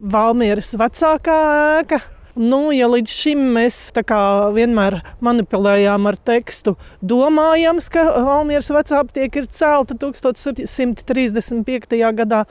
Valmieras vecākā ēka. Ja līdz šim mēs vienmēr manipulējām ar tekstu, domājams, ka Valmieras vecā aptieka ir celta 1735. gadā,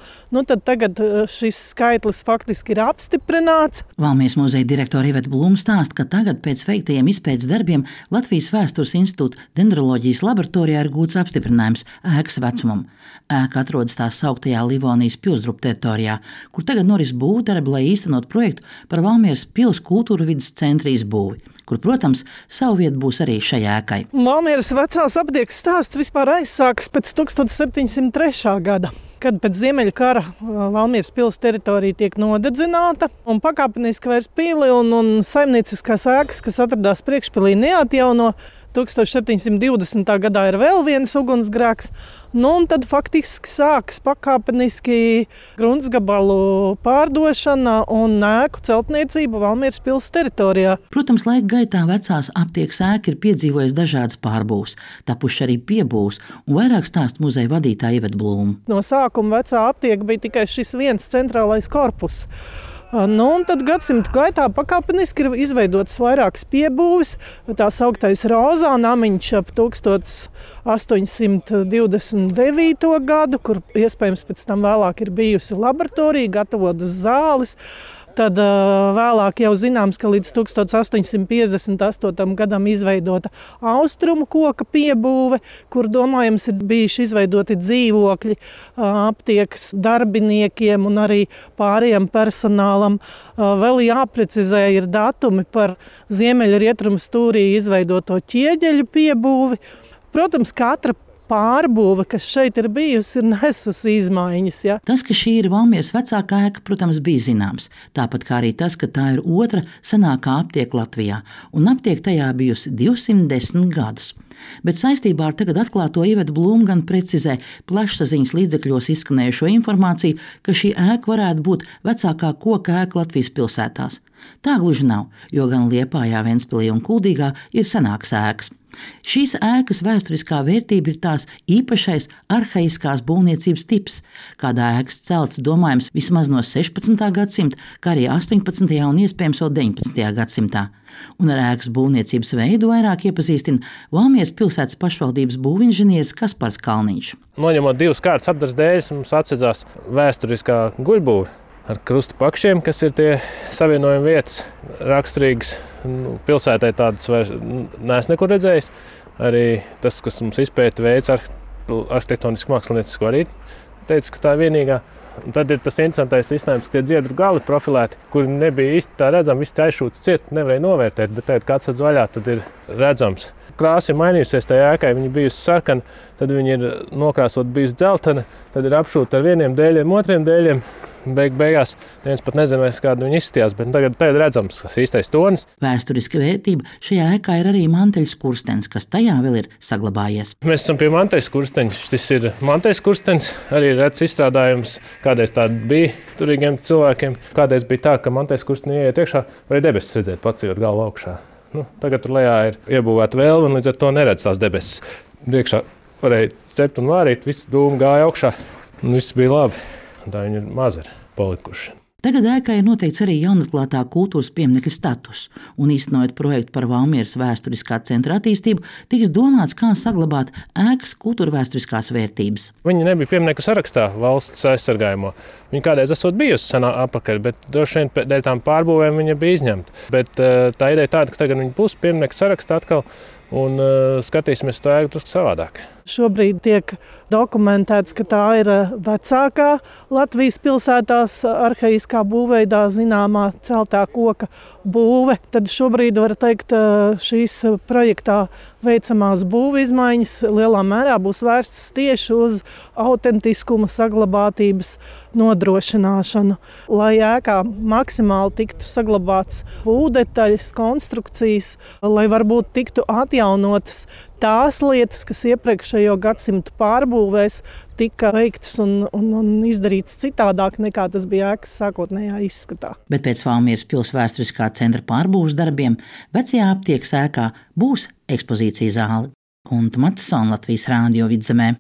tad tagad šis skaitlis faktiski ir apstiprināts. Valmieras muzeja direktore Iveta Blūma stāsta, ka tagad pēc veiktajiem izpētes darbiem Latvijas Vēstures institūta dendroloģijas laboratorijā ir gūts apstiprinājums ēkas vecumam. Ēka atrodas tās sauktajā Livonijas pilsdrupu teritorijā, kur tagad noris būvdarbi, lai īstenot projektu par Valmieras pils kultūra vidas centra izbūvi, kur, protams, savu vietu būs arī šai ēkai. Valmieras vecās aptiekas stāsts vispār aizsākas pēc 1703. gada, kad pēc Ziemeļu kara Valmieras pils teritorija tiek nodedzināta un pakāpeniski vairs pili un saimnieciskās ēkas, kas atradās priekšpilī, neatjauno. 1720. gadā ir vēl viens ugunsgrēks, un tad faktiski sākas pakāpeniski gruntsgabalu pārdošana un ēku celtniecība Valmieras pils teritorijā. Protams, laika gaitā vecās aptiekas ēka ir piedzīvojusi dažādas pārbūves, tapuši arī piebūves, un vairāk stāsta muzeja vadītāja Iveta Blūma. No sākuma vecā aptieka bija tikai šis viens centrālais korpus. Un tad gadsimtu gaitā pakāpeniski ir izveidotas vairākas piebūves. Tā sauktais Rozā namiņš ap 1829. gadu, kur iespējams pēc tam vēlāk ir bijusi laboratorija, gatavotas zāles. Tad vēlāk jau zināms, ka līdz 1858. gadam izveidota austrumu koka piebūve, kur domājams ir bijuši izveidoti dzīvokļi aptiekas darbiniekiem un arī pārējiem personālam. Vēl jāprecizē ir datumi par ziemeļrietumu stūrī izveidoto ķieģeļu piebūvi. Protams, katra pārbūve, kas šeit ir bijusi, ir nesusi izmaiņas. Ja? Tas, ka šī ir Valmieras vecākā ēka, protams, bija zināms. Tāpat kā arī tas, ka tā ir otra senākā aptieka Latvijā, un aptieka tajā bijusi 210 gadus. Bet saistībā ar tagad atklāto Iveta Blūma gan precizē plašsaziņas līdzekļos izskanējušo informāciju, ka šī ēka varētu būt vecākā koka ēka Latvijas pilsētās. Tā gluži nav, jo gan Liepājā, Ventspilī un Kuldīgā ir senākas ēkas. Šīs ēkas vēsturiskā vērtība ir tās īpašais arhaiskās būvniecības tips, kādā ēkas celts domājams vismaz no 16. gadsimta, kā arī 18. un iespējams vēl 19. gadsimtā. Un ar ēkas būvniecības veidu vairāk iepazīstina Valmieras pilsētas pašvaldības būvinženieris Kaspars Kalniņš. Noņemot divas kārtas apdares dēļas, mums atsedzās vēsturiskā guļbūve ar krustu pakšiem, kas ir tie savienojuma vietas raksturīgas. Pilsētai tādas vairs neesmu nekur redzējis. Arī tas, kas mums izpēta veids arhitektonisku māksliniecisko, arī teica, ka tā ir vienīgā. Un tad ir tas interesantais risinājums, ka tie dziedru gali profilēti, kuri nebija īsti tā redzami, visi aizšūts ciet, nevarēja novērtēt, bet tagad, kad atsedz vaļā, tad ir redzams. Krāsa ir mainījusies tajā ēkai, viņa bijusi sarkana, tad viņa ir nokrāsot bijusi dzeltena, tad ir apšūta ar vieniem dēļiem, otriem dēļiem. Beigās neviens pat nezina, kāda viņa izskatījās, bet tagad redzams, kas īstais tonis. Vēsturiska vērtība šajā ēkā ir arī manteļskurstenis, kas tajā vēl ir saglabājies. Mēs esam pie manteļskursteņa. Šis ir manteļskurstenis, arī redzams izstrādājums. Kādreiz tāda bija turīgiem cilvēkiem. Kādreiz bija tā, ka manteļskurstenī ieiet iekšā, varēja debesis redzēt, paceļot galvu augšā. Tagad tur lejā ir iebūvēta vēlme, un līdz ar to neredz tās debesis. Priekšā varēja cept un vārīt, viss dūmi gāja augšā, un viss bija labi. Tā viņi ir mazi palikuši. Tagad ēkai ir noteikts arī jaunatklātā kultūras pieminekļa status, un īstenojot projektu par Valmieras vēsturiskā centra attīstību, tiks domāts, kā saglabāt ēkas kultūrvēsturiskās vērtības. Viņa nebija pieminekļu sarakstā valsts aizsargājumā. Viņa kādreiz esot bijusi senā apakaļ, bet droši vien dēļ tām pārbūvēm viņa bija izņemta. Bet tā ideja tāda, ka tagad viņa būs pieminekļu sarakstā atkal, un skatīsimies to ēku drusku savādāk. Šobrīd tiek dokumentēts, ka tā ir vecākā Latvijas pilsētās arhaiskā būvveidā zināmā celtā koka būve. Tad šobrīd var teikt, šīs projektā veicamās būvu izmaiņas lielā mērā būs vērstas tieši uz autentiskuma saglabātības nodrošināšanu, lai ēkā maksimāli tiktu saglabāts būvdetaļas, konstrukcijas, lai varbūt tiktu atjaunotas tās lietas, kas iepriekšējo gadsimtu pārbūvēs tika veiktas un izdarītas citādāk nekā tas bija ēkas sākotnējā izskatā. Bet pēc Valmieras pils vēsturiskā centra pārbūves darbiem vecajā aptiekas ēkā būs ekspozīcija zāle. Gunta Matsone, Latvijas Rādio Vidzemē.